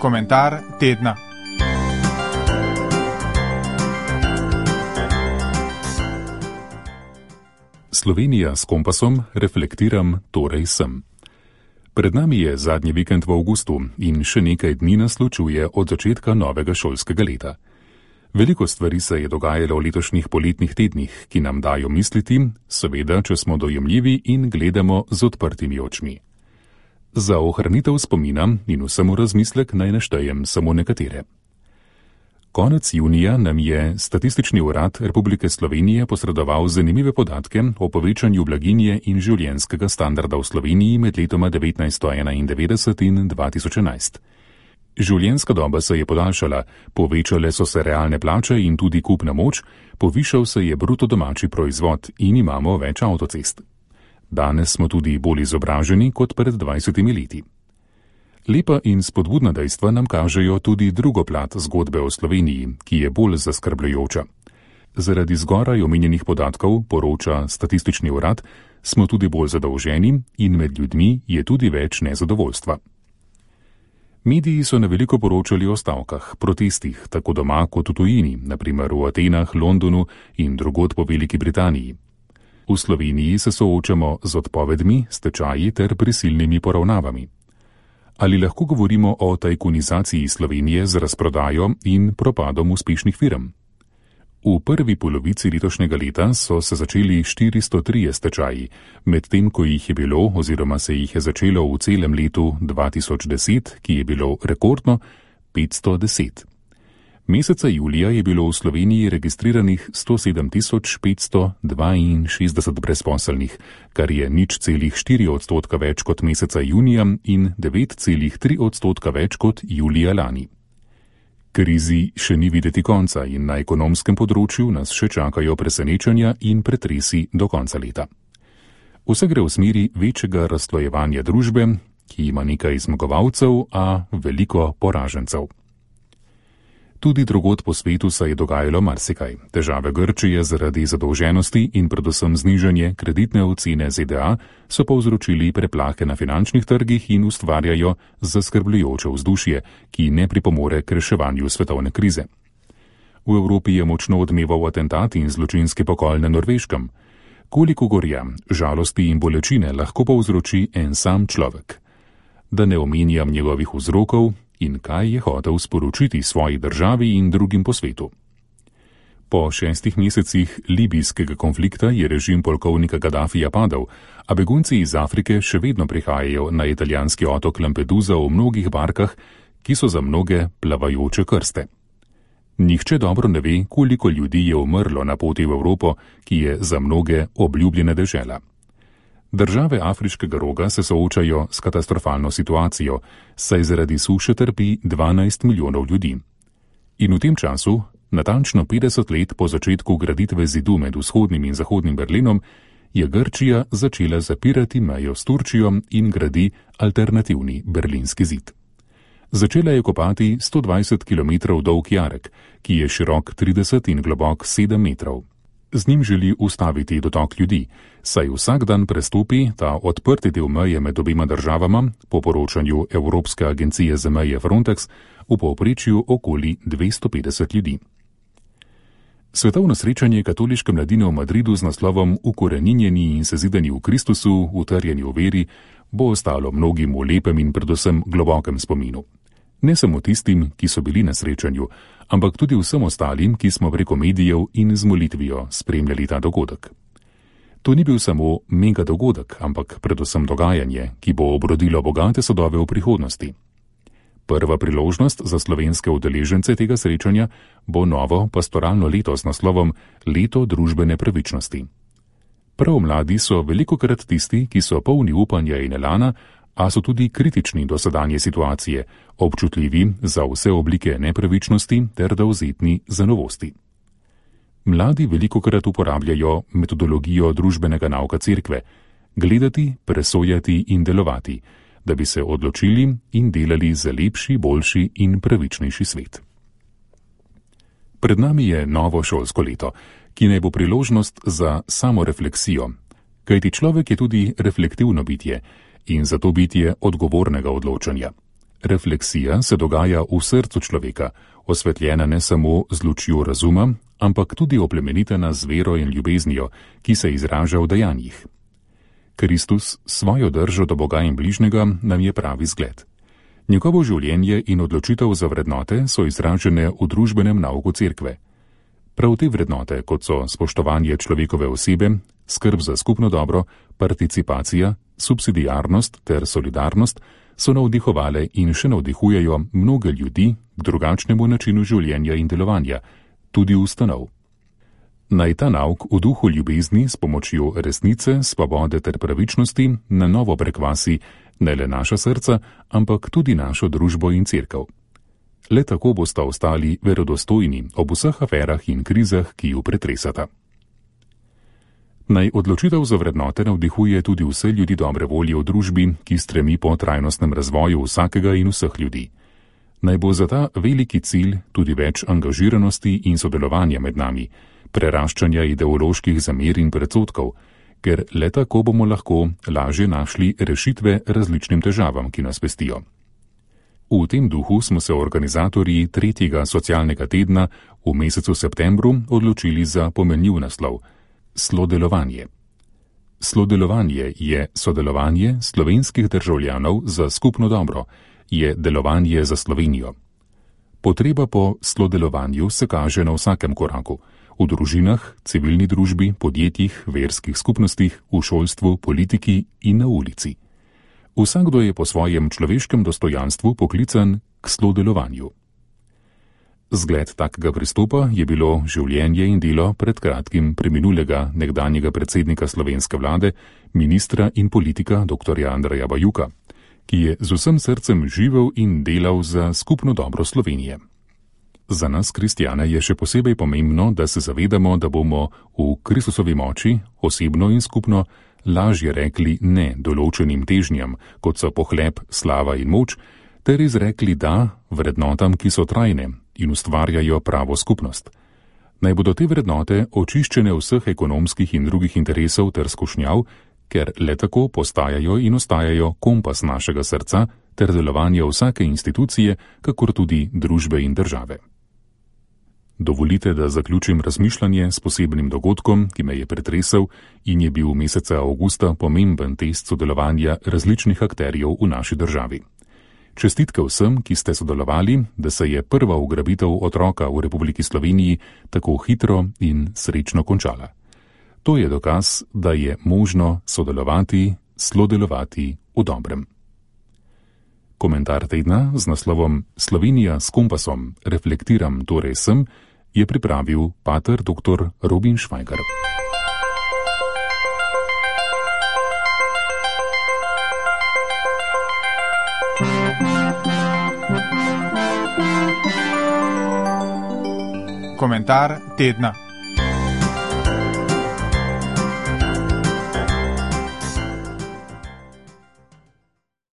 Komentar tedna. Slovenija s kompasom, reflektiram, torej sem. Pred nami je zadnji vikend v avgustu in še nekaj dni nas ločuje od začetka novega šolskega leta. Veliko stvari se je dogajalo v letošnjih poletnih tednih, ki nam dajo misliti, seveda, če smo dojemljivi in gledamo z odprtimi očmi. Za ohranitev spomina in vsemu razmislek naj naštejem samo nekatere. Konec junija nam je Statistični urad Republike Slovenije posredoval zanimive podatke o povečanju blaginje in življenjskega standarda v Sloveniji med letoma 1991 in 2011. Življenjska doba se je podaljšala, povečale so se realne plače in tudi kupna moč, povišal se je bruto domači proizvod in imamo več avtocest. Danes smo tudi bolj izobraženi kot pred 20 leti. Lepa in spodbudna dejstva nam kažejo tudi drugo plat zgodbe o Sloveniji, ki je bolj zaskrbljujoča. Zaradi zgoraj omenjenih podatkov, poroča Statistični urad, smo tudi bolj zadolženi in med ljudmi je tudi več nezadovoljstva. Mediji so na veliko poročali o stavkah, protestih, tako doma kot v tujini, naprimer v Atenah, Londonu in drugod po Veliki Britaniji. V Sloveniji se soočamo z odpovedmi, stečaji ter prisilnimi poravnavami. Ali lahko govorimo o tajkunizaciji Slovenije z razprodajo in propadom uspešnih firm? V prvi polovici letošnjega leta so se začeli 403 stečaji, medtem ko jih je bilo oziroma se jih je začelo v celem letu 2010, ki je bilo rekordno, 510. Meseca julija je bilo v Sloveniji registriranih 107.562 brezposelnih, kar je 0,4% več kot meseca junija in 9,3% več kot julija lani. Krizi še ni videti konca in na ekonomskem področju nas še čakajo presenečenja in pretresi do konca leta. Vse gre v smeri večjega razslojevanja družbe, ki ima nekaj zmagovalcev, a veliko poražencev. Tudi drugod po svetu se je dogajalo marsikaj. Težave Grčije zaradi zadolženosti in predvsem znižanje kreditne ocene ZDA so povzročili preplahe na finančnih trgih in ustvarjajo zaskrbljujoče vzdušje, ki ne pripomore k reševanju svetovne krize. V Evropi je močno odmeval atentat in zločinski pokol na Norveškem. Koliko gorja, žalosti in bolečine lahko povzroči en sam človek? Da ne omenjam njegovih vzrokov in kaj je hotel sporočiti svoji državi in drugim po svetu. Po 6 mesecih libijskega konflikta je režim polkovnika Gaddafija padel, a begunci iz Afrike še vedno prihajajo na italijanski otok Lampedusa v mnogih barkah, ki so za mnoge plavajoče krste. Nihče dobro ne ve, koliko ljudi je umrlo na poti v Evropo, ki je za mnoge obljubljena dežela. Države Afriškega roga se soočajo s katastrofalno situacijo, saj zaradi suše trpi 12 milijonov ljudi. In v tem času, natančno 50 let po začetku graditve zidu med vzhodnim in zahodnim Berlinom, je Grčija začela zapirati mejo s Turčijo in gradi alternativni berlinski zid. Začela je kopati 120 km dolg jarek, ki je širok 30 in globok 7 metrov. Z njim želi ustaviti dotok ljudi, saj vsak dan prestopi ta odprti del meje med obima državama, po poročanju Evropske agencije za meje Frontex, v povprečju okoli 250 ljudi. Svetovno srečanje katoliške mladine v Madridu z naslovom Ukoreninjeni in sezidani v Kristusu, utrjeni v veri, bo ostalo mnogim v lepem in predvsem globokem spominu. Ne samo tistim, ki so bili na srečanju, ampak tudi vsem ostalim, ki smo preko medijev in z molitvijo spremljali ta dogodek. To ni bil samo mega dogodek, ampak predvsem dogajanje, ki bo obrodilo bogate sadove v prihodnosti. Prva priložnost za slovenske udeležence tega srečanja bo novo pastoralno leto s naslovom Leto družbene pravičnosti. Prav mladi so velikokrat tisti, ki so polni upanja in elana, a so tudi kritični do sedanje situacije, občutljivi za vse oblike nepravičnosti ter dovzetni za novosti. Mladi velikokrat uporabljajo metodologijo družbenega nauka cerkve, gledati, presojati in delovati, da bi se odločili in delali za lepši, boljši in pravičnejši svet. Pred nami je novo šolsko leto, ki naj bo priložnost za samorefleksijo, kajti človek je tudi reflektivno bitje in zato bitje odgovornega odločanja. Refleksija se dogaja v srcu človeka, osvetljena ne samo z lučjo razuma, ampak tudi oplemenitena z vero in ljubeznijo, ki se izraža v dejanjih. Kristus svojo držo do Boga in bližnjega nam je pravi zgled. Njegovo življenje in odločitev za vrednote so izražene v družbenem nauku cerkve. Prav te vrednote, kot so spoštovanje človekove osebe, skrb za skupno dobro, participacija, subsidiarnost ter solidarnost, so navdihovale in še navdihujejo mnoge ljudi k drugačnemu načinu življenja in delovanja, tudi ustanov. Naj ta nauk v duhu ljubezni s pomočjo resnice, svobode ter pravičnosti na novo prekvasi ne le naša srca, ampak tudi našo družbo in cerkev. Le tako bosta ostali verodostojni ob vseh aferah in krizah, ki ju pretresata. Naj odločitev za vrednote navdihuje tudi vse ljudi dobre volje v družbi, ki stremi po trajnostnem razvoju vsakega in vseh ljudi. Naj bo za ta veliki cilj tudi več angažiranosti in sodelovanja med nami, preraščanja ideoloških zamer in predsodkov, ker le tako bomo lahko lažje našli rešitve različnim težavam, ki nas pestijo. V tem duhu smo se organizatorji 3. socialnega tedna v mesecu septembru odločili za pomenljiv naslov Slodelovanje. Slodelovanje je sodelovanje slovenskih državljanov za skupno dobro, je delovanje za Slovenijo. Potreba po slodelovanju se kaže na vsakem koraku, v družinah, civilni družbi, podjetjih, verskih skupnostih, v šolstvu, politiki in na ulici. Vsakdo je po svojem človeškem dostojanstvu poklican k slodelovanju. Zgled takega pristopa je bilo življenje in delo pred kratkim preminulega nekdanjega predsednika slovenske vlade, ministra in politika dr. Andreja Bajuka, ki je z vsem srcem živel in delal za skupno dobro Slovenije. Za nas, kristjane, je še posebej pomembno, da se zavedamo, da bomo v Kristusovi moči, osebno in skupno, lažje rekli ne določenim težnjam, kot so pohlep, slava in moč, ter izrekli da vrednotam, ki so trajne in ustvarjajo pravo skupnost. Naj bodo te vrednote očiščene vseh ekonomskih in drugih interesov ter skušnjav, ker le tako postajajo in ostajajo kompas našega srca ter delovanja vsake institucije, kakor tudi družbe in države. Dovolite, da zaključim razmišljanje s posebnim dogodkom, ki me je pretresel in je bil meseca avgusta pomemben test sodelovanja različnih akterjev v naši državi. Čestitke vsem, ki ste sodelovali, da se je prva ugrabitev otroka v Republiki Sloveniji tako hitro in srečno končala. To je dokaz, da je možno sodelovati, slodelovati v dobrem. Komentar tedna z naslovom Slovenija s kompasom, reflektiram torej sem, je pripravil pater dr. Robin Švajgar. Komentar tedna.